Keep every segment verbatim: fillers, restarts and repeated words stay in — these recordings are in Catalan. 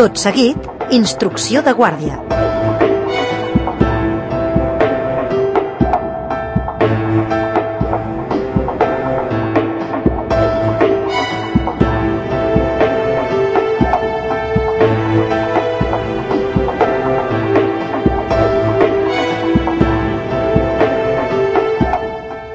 Tot seguit, instrucció de guàrdia.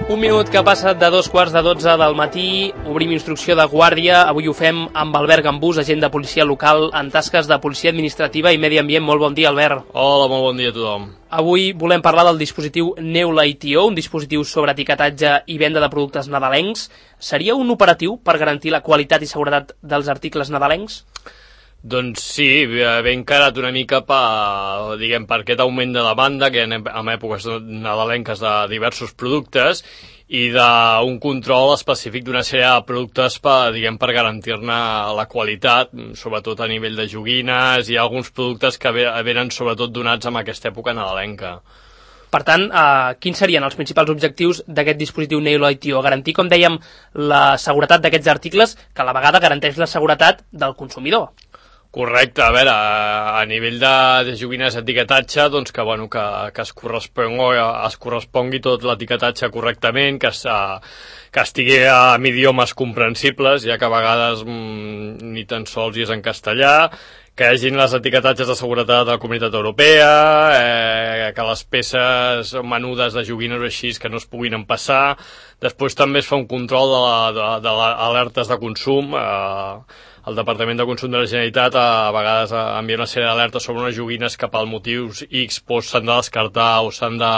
Un minut que ha passat de dos quarts de dotze del matí, obrim instrucció de guàrdia. Avui ho fem amb Albert Gambús, agent de policia local en tasques de policia administrativa i medi ambient. Molt bon dia, Albert. Hola, molt bon dia a tothom. Avui volem parlar del dispositiu Neula I T O, un dispositiu sobre etiquetatge i venda de productes nadalencs. Seria un operatiu per garantir la qualitat i seguretat dels articles nadalencs? Doncs sí, ve encarat una mica per, diguem, per aquest augment de demanda que en, en èpoques nadalenques de diversos productes i d'un control específic d'una sèrie de productes per, diguem, per garantir-ne la qualitat, sobretot a nivell de joguines i alguns productes que venen sobretot donats en aquesta època nadalenca. Per tant, eh, quins serien els principals objectius d'aquest dispositiu Neula I T O? Garantir, com dèiem, la seguretat d'aquests articles, que a la vegada garanteix la seguretat del consumidor. Correcte, a veure, a nivell de, de joguines d'etiquetatge, doncs que, bueno, que, que es, correspongui, es correspongui tot l'etiquetatge correctament, que, es, que estigui en idiomes comprensibles, ja que a vegades mmm, ni tan sols hi és en castellà, que hi hagin les etiquetatges de seguretat de la Comunitat Europea, eh, que les peces menudes de joguines o així que no es puguin empassar. Després també es fa un control de, la, de, de les alertes de consum. Eh, el Departament de Consum de la Generalitat a vegades envia una sèrie d'alertes sobre unes joguines que per motius X s'han de descartar o s'han de,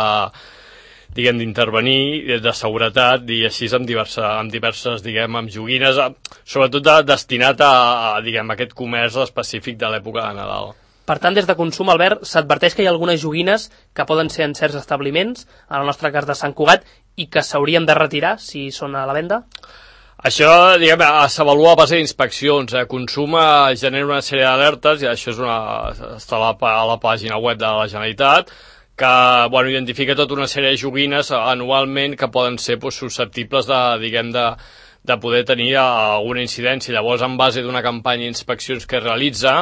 diguem, d'intervenir de seguretat i així amb diverses, amb diverses diguem, amb joguines, sobretot de, destinat a, a, diguem, a aquest comerç específic de l'època de Nadal. Per tant, des de Consum, Albert, s'adverteix que hi ha algunes joguines que poden ser en certs establiments, en el nostre cas de Sant Cugat, i que s'haurien de retirar si són a la venda? Això, diguem, s'avalua a base d'inspeccions. Eh? Consum genera una sèrie d'alertes, i això és una, està a la, a la pàgina web de la Generalitat, que, bueno, identifica tota una sèrie de joguines anualment que poden ser pues, susceptibles de, diguem, de, de poder tenir alguna incidència. Llavors, en base d'una campanya d'inspeccions que es realitza,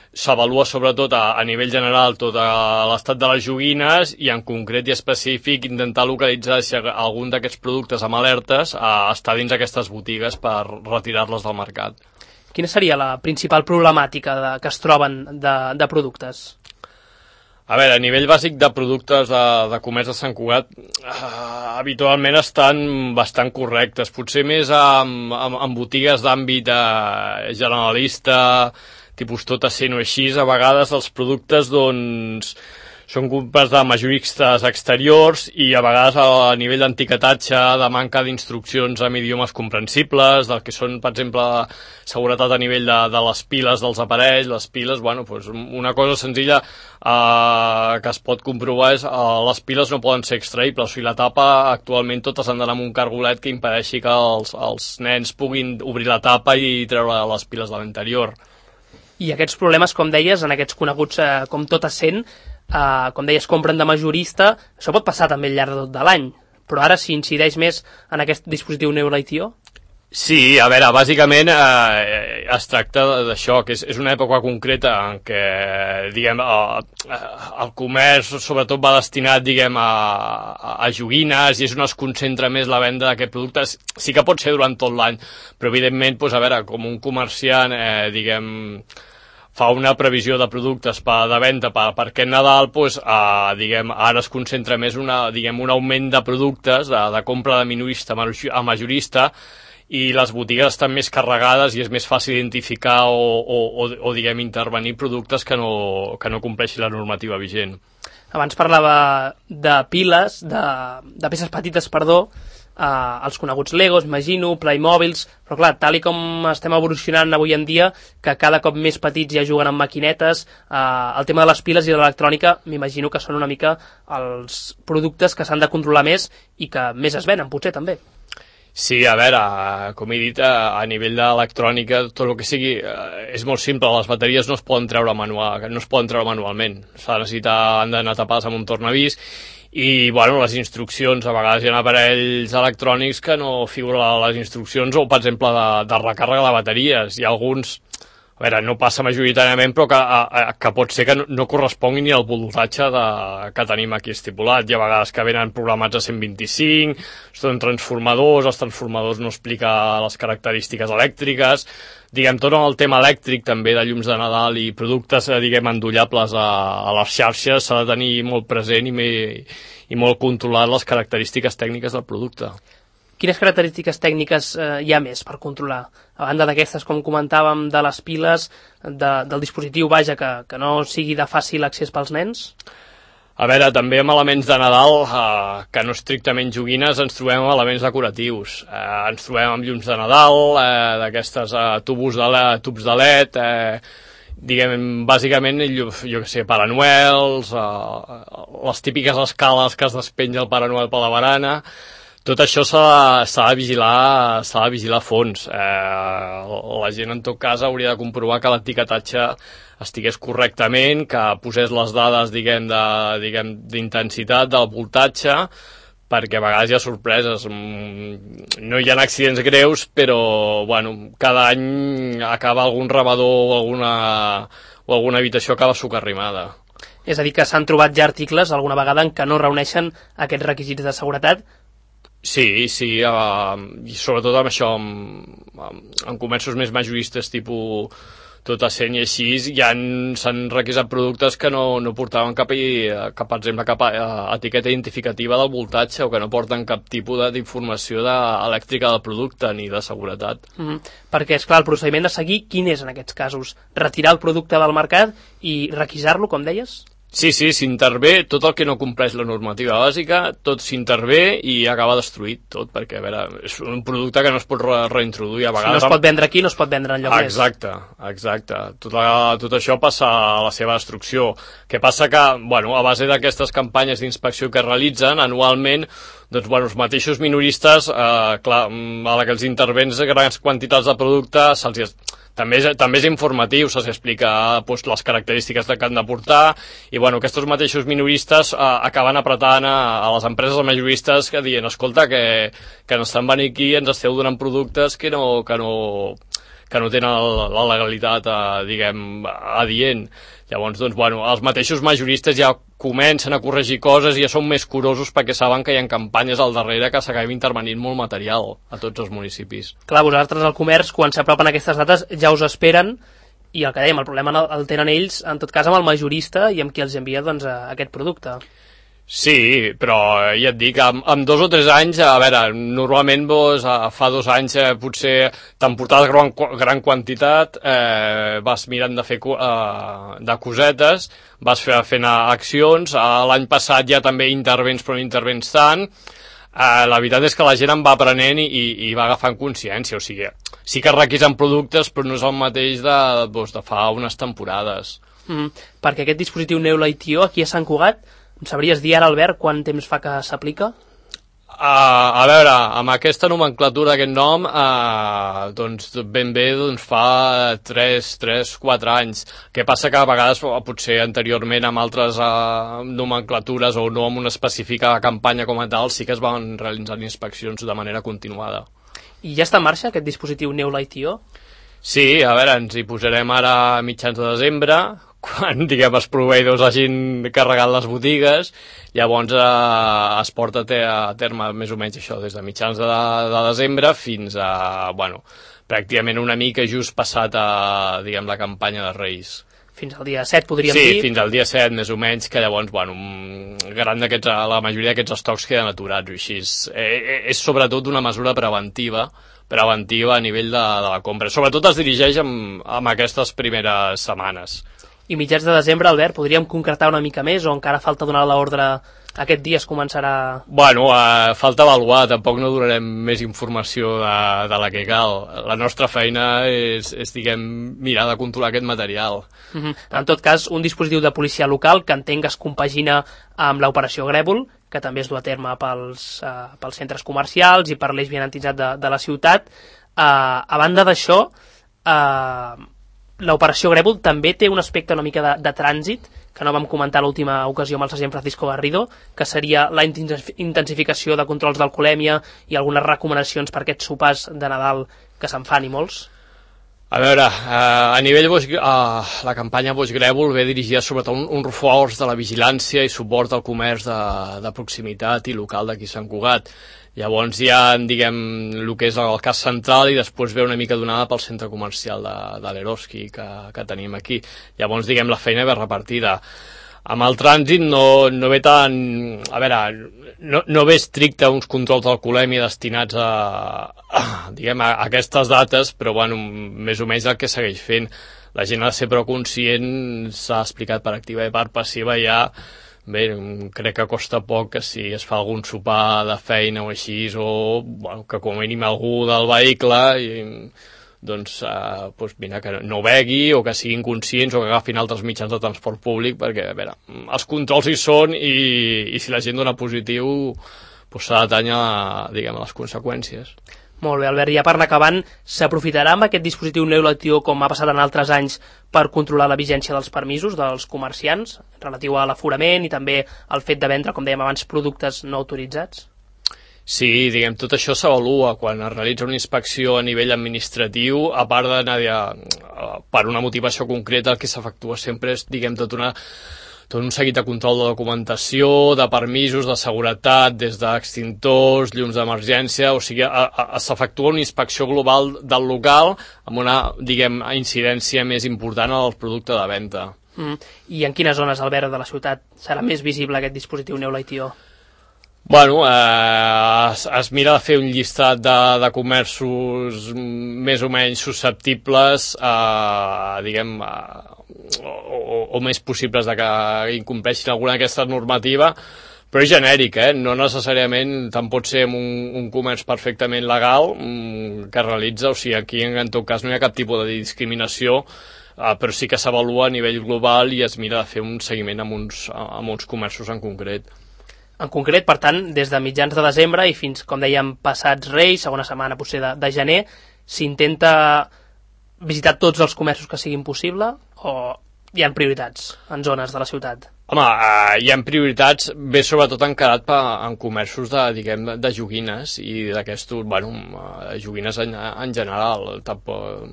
s'avalua sobretot a, a nivell general tot l'estat de les joguines i en concret i específic intentar localitzar si algun d'aquests productes amb alertes eh, està dins aquestes botigues per retirar-les del mercat. Quina seria la principal problemàtica de, que es troben de, de productes? A veure, a nivell bàsic de productes de, de comerç de Sant Cugat, eh, habitualment estan bastant correctes. Potser més amb, amb, amb botigues d'àmbit eh, generalista, tipus tot essent o així, a vegades els productes doncs, són compres de majoristes exteriors i a vegades a nivell d'etiquetatge, de manca d'instruccions en idiomes comprensibles, del que són, per exemple, seguretat a nivell de, de les piles dels aparells. Les piles, bueno, doncs una cosa senzilla eh, que es pot comprovar és eh, les piles no poden ser extraïbles, o sigui, la tapa actualment totes han d'anar amb un cargolet que impedeixi que els, els nens puguin obrir la tapa i treure les piles de l'interior. I aquests problemes, com deies, en aquests coneguts eh, com tot essent, eh, com deies, compren de majorista, això pot passar també al llarg de tot de l'any, però ara s'hi incideix més en aquest dispositiu Neula I T O? Sí, a veure, bàsicament eh, es tracta d'això, que és, és una època concreta en què, diguem, eh, el comerç sobretot va destinat, diguem, a, a joguines i és on es concentra més la venda d'aquests productes. Sí que pot ser durant tot l'any, però evidentment, doncs, a veure, com un comerciant, eh, diguem, fa una previsió de productes per, de venda per, per aquest Nadal, doncs, eh, diguem, ara es concentra més una, diguem, un augment de productes, de, de compra de minorista a majorista, i les botigues estan més carregades i és més fàcil identificar o, o, o, o diguem, intervenir productes que no, que no compleixin la normativa vigent. Abans parlava de piles, de, de peces petites, perdó, eh, els coneguts Legos, imagino, Playmobils, però clar, tal i com estem evolucionant avui en dia, que cada cop més petits ja juguen amb maquinetes, eh, el tema de les piles i de l'electrònica, m'imagino que són una mica els productes que s'han de controlar més i que més es venen, potser també. Sí, a veure, com he dit, a nivell d'electrònica, tot el que sigui, és molt simple, les bateries no es poden treure manual, no es poden treure manualment, s'ha de necessitar, han d'anar tapades amb un tornavís, i, bueno, les instruccions, a vegades hi ha aparells electrònics que no figuren a les instruccions, o, per exemple, de, de recàrrega de bateries, i alguns, a veure, no passa majoritàriament, però que, a, a, que pot ser que no, no correspongui ni al voltatge de, que tenim aquí estipulat. Hi ha vegades que venen programats a cent vint-i-cinc, són transformadors, els transformadors no explica les característiques elèctriques, diguem, tot el tema elèctric també de llums de Nadal i productes, diguem, endollables a, a les xarxes s'ha de tenir molt present i, me, i molt controlat les característiques tècniques del producte. Quines característiques tècniques eh, hi ha més per controlar? A banda d'aquestes, com comentàvem, de les piles, de, del dispositiu, vaja, que, que no sigui de fàcil accés pels nens? A veure, també amb elements de Nadal, eh, que no estrictament joguines, ens trobem amb elements decoratius. Eh, ens trobem amb llums de Nadal, eh, d'aquestes eh, tubos de L E D, tubs de L E D, eh, diguem, bàsicament, jo, jo què sé, Pare Noels, eh, les típiques escales que es despenja el Pare Noel per la barana. Tot això s'ha de vigilar, s'ha de vigilar a fons. Eh, la gent, en tot cas, hauria de comprovar que l'etiquetatge estigués correctament, que posés les dades, diguem, de, diguem, d'intensitat, del voltatge, perquè a vegades hi ha sorpreses. No hi ha accidents greus, però, bueno, cada any acaba algun rebedor o alguna, o alguna habitació acaba socarrimada. És a dir, que s'han trobat ja articles alguna vegada en què no reuneixen aquests requisits de seguretat. Sí, sí, uh, i sobretot amb això, amb, amb, amb comerços més majoristes, tipus tot a cent i així, ja s'han requisat productes que no, no portaven cap, cap, per exemple, cap uh, etiqueta identificativa del voltatge o que no porten cap tipus d'informació elèctrica del producte ni de seguretat. Mm-hmm. Perquè, esclar, el procediment a seguir, quin és en aquests casos? Retirar el producte del mercat i requisar-lo, com deies? Sí, sí, s'intervé tot el que no compleix la normativa bàsica, tot s'intervé i acaba destruït tot, perquè, a veure, és un producte que no es pot re reintroduir a vegades. Si no es pot vendre aquí, no es pot vendre enlloc més. Exacte, exacte. Tot, la, tot això passa a la seva destrucció. Que passa que, bueno, a base d'aquestes campanyes d'inspecció que realitzen anualment, doncs, bueno, els mateixos minoristes, eh, clar, a la que els intervens grans quantitats de producte, se'ls També és, també és informatiu, se'ls explica doncs, les característiques que han de portar i bueno, aquests mateixos minoristes eh, acaben apretant a, a les empreses majoristes que diuen, escolta, que, que ens estan venint aquí i ens esteu donant productes que no, que no, que no tenen la, la legalitat, eh, diguem, adient. Llavors, doncs, bueno, els mateixos majoristes ja comencen a corregir coses i ja són més curosos perquè saben que hi ha campanyes al darrere que s'acabin intervenint molt material a tots els municipis. Clar, vosaltres al comerç, quan s'apropen aquestes dates, ja us esperen i el que dèiem, el problema el tenen ells, en tot cas amb el majorista i amb qui els envia doncs, aquest producte. Sí, però ja et dic, amb, amb dos o tres anys, a veure, normalment doncs, fa dos anys eh, potser t'han portat gran, gran quantitat, eh, vas mirant de fer eh, de cosetes, vas fer, fent accions, eh, l'any passat ja també intervens però no intervens tant, eh, la veritat és que la gent en va aprenent i, i, i va agafant consciència, o sigui, sí que requisen productes però no és el mateix de, doncs, de fa unes temporades. Mm, perquè aquest dispositiu Neula I T O aquí a Sant Cugat, em sabries dir ara, Albert, quant temps fa que s'aplica? Uh, a veure, amb aquesta nomenclatura, aquest nom, uh, doncs ben bé doncs, fa tres, quatre anys. Què passa que a vegades, potser anteriorment amb altres uh, nomenclatures o no amb una específica campanya com a tal, sí que es van realitzant inspeccions de manera continuada. I ja està en marxa aquest dispositiu Neula I T O? Sí, a veure, ens hi posarem ara a mitjans de desembre, quan, diguem, els proveïdors hagin carregat les botigues, llavors eh, es porta a terme més o menys això, des de mitjans de, de desembre fins a, bueno, pràcticament una mica just passat a, diguem, la campanya de Reis. Fins al dia set, podríem sí, dir? Sí, fins al dia set, més o menys, que llavors, bueno, gran d'aquests, la majoria d'aquests estocs queden aturats, o així. És, és sobretot una mesura preventiva, preventiva a nivell de, de la compra. Sobretot es dirigeix amb, amb aquestes primeres setmanes. I mitjans de desembre, Albert, podríem concretar una mica més o encara falta donar l'ordre aquest dia es començarà... Bueno, uh, falta avaluar, tampoc no donarem més informació de, de la que cal. La nostra feina és, és diguem, mirar de controlar aquest material. Mm-hmm. En tot cas, un dispositiu de policia local que entenc que es compagina amb l'operació Grèvol, que també es du a terme pels, uh, pels centres comercials i per l'eix vianantitzat de, de la ciutat. Uh, a banda d'això, uh, l'operació Grèvol també té un aspecte una mica de, de trànsit, que no vam comentar l'última ocasió amb el sergent Francisco Garrido, que seria la intensificació de controls d'alcoholèmia i algunes recomanacions per aquests sopars de Nadal que se'n fan i molts. A veure, eh, a nivell Boix, eh, la campanya Boix Grèvol ve dirigida sobretot un, un reforç de la vigilància i suport al comerç de, de proximitat i local d'aquí Sant Cugat. Llavors hi ha, diguem, el que és el cas central i després ve una mica donada pel centre comercial de, de l'Eroski que, que tenim aquí. Llavors, diguem, la feina ve repartida. Amb el trànsit no, no ve tan... A veure, no, no ve estricte uns controls d'alcoholèmia destinats a, a, diguem, a aquestes dates, però bueno, més o menys el que segueix fent. La gent ha de ser prou conscient, s'ha explicat per activa i per passiva ja. Bé, crec que costa poc que si es fa algun sopar de feina o així, o bueno, que com a mínim algú del vehicle... I, doncs, eh, doncs mira, que no begui o que siguin conscients o que agafin altres mitjans de transport públic, perquè a veure, els controls hi són i, i si la gent dona positiu doncs s'ha d'atanyar, diguem, a les conseqüències. Molt bé, Albert, ja per anar acabant, s'aprofitarà amb aquest dispositiu neolectiu com ha passat en altres anys per controlar la vigència dels permisos dels comerciants relatiu a l'aforament i també al fet de vendre, com dèiem abans, productes no autoritzats? Sí, diguem, tot això s'avalua quan es realitza una inspecció a nivell administratiu, a part d'anar per una motivació concreta, el que s'efectua sempre és, diguem, tot, una, tot un seguit de control de documentació, de permisos, de seguretat, des d'extintors, llums d'emergència, o sigui, s'efectua una inspecció global del local amb una, diguem, incidència més important al producte de venda. Mm. I en quines zones, Albert, de la ciutat serà més visible aquest dispositiu Neoleitio? Bueno, eh, es, es mira de fer un llistat de, de comerços més o menys susceptibles, eh, diguem, eh, o, o, o més possibles de que incompleixin alguna d'aquesta normativa, però és genèric, eh? No necessàriament tant pot ser un, un comerç perfectament legal mm, que realitza, o sigui, aquí en tot cas no hi ha cap tipus de discriminació, eh, però sí que s'avalua a nivell global i es mira de fer un seguiment amb uns, amb uns comerços en concret. En concret, per tant, des de mitjans de desembre i fins, com dèiem, passats Reis, segona setmana potser de, de gener, s'intenta visitar tots els comerços que siguin possible o hi ha prioritats en zones de la ciutat? Home, eh, hi ha prioritats, ve sobretot encarat pa, en comerços de, diguem, de joguines i d'aquestos, bueno, joguines en, en general. Tampoc,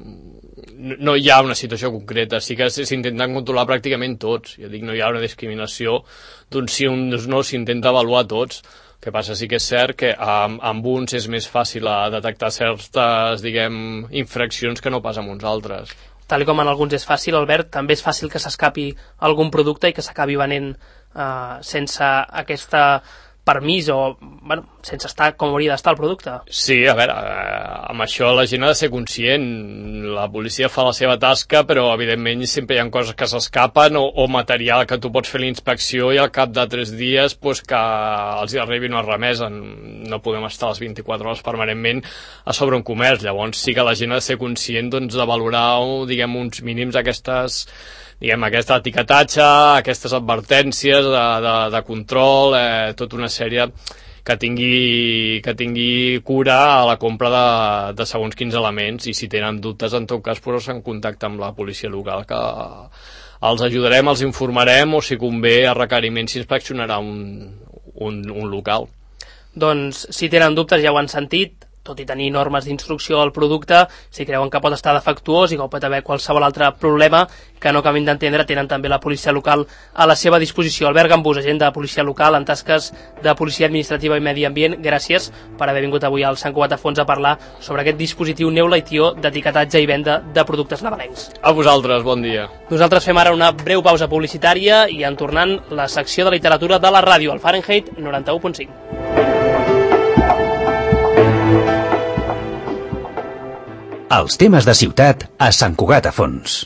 no hi ha una situació concreta, sí que s'intenten controlar pràcticament tots. Jo dic, no hi ha una discriminació d'un sí o un no, s'intenta avaluar tots. El que passa sí que és cert que amb, amb uns és més fàcil a detectar certes, diguem, infraccions que no pas amb uns altres. Tal com en alguns és fàcil, Albert, també és fàcil que s'escapi algun producte i que s'acabi venent eh, sense aquesta permís o, bueno, sense estar com hauria d'estar el producte. Sí, a veure, eh, amb això la gent ha de ser conscient. La policia fa la seva tasca, però evidentment sempre hi ha coses que s'escapen o, o material que tu pots fer la inspecció i al cap de tres dies pues, que els hi arribi una remesa. No podem estar les vint-i-quatre hores permanentment a sobre un comerç. Llavors sí que la gent ha de ser conscient doncs, de valorar, diguem, uns mínims aquestes... diguem, aquesta etiquetatge, aquestes advertències de, de, de control, eh, tota una sèrie que tingui, que tingui cura a la compra de, de segons quins elements, i si tenen dubtes, en tot cas, posar-se en contacte amb la policia local, que els ajudarem, els informarem, o si convé, a requeriment s'inspeccionarà un, un, un local. Doncs, si tenen dubtes, ja ho han sentit, tot i tenir normes d'instrucció al producte, si creuen que pot estar defectuós i que pot haver qualsevol altre problema que no acabin d'entendre, tenen també la policia local a la seva disposició. Albert Gambús, agent de policia local en tasques de policia administrativa i medi ambient, gràcies per haver vingut avui al Sant Cugat a Fons a parlar sobre aquest dispositiu Neoleitio d'etiquetatge i venda de productes nadalencs. A vosaltres, bon dia. Nosaltres fem ara una breu pausa publicitària i en tornant la secció de literatura de la ràdio, al Fahrenheit noranta-u punt cinc. Els temes de ciutat a Sant Cugat a Fons.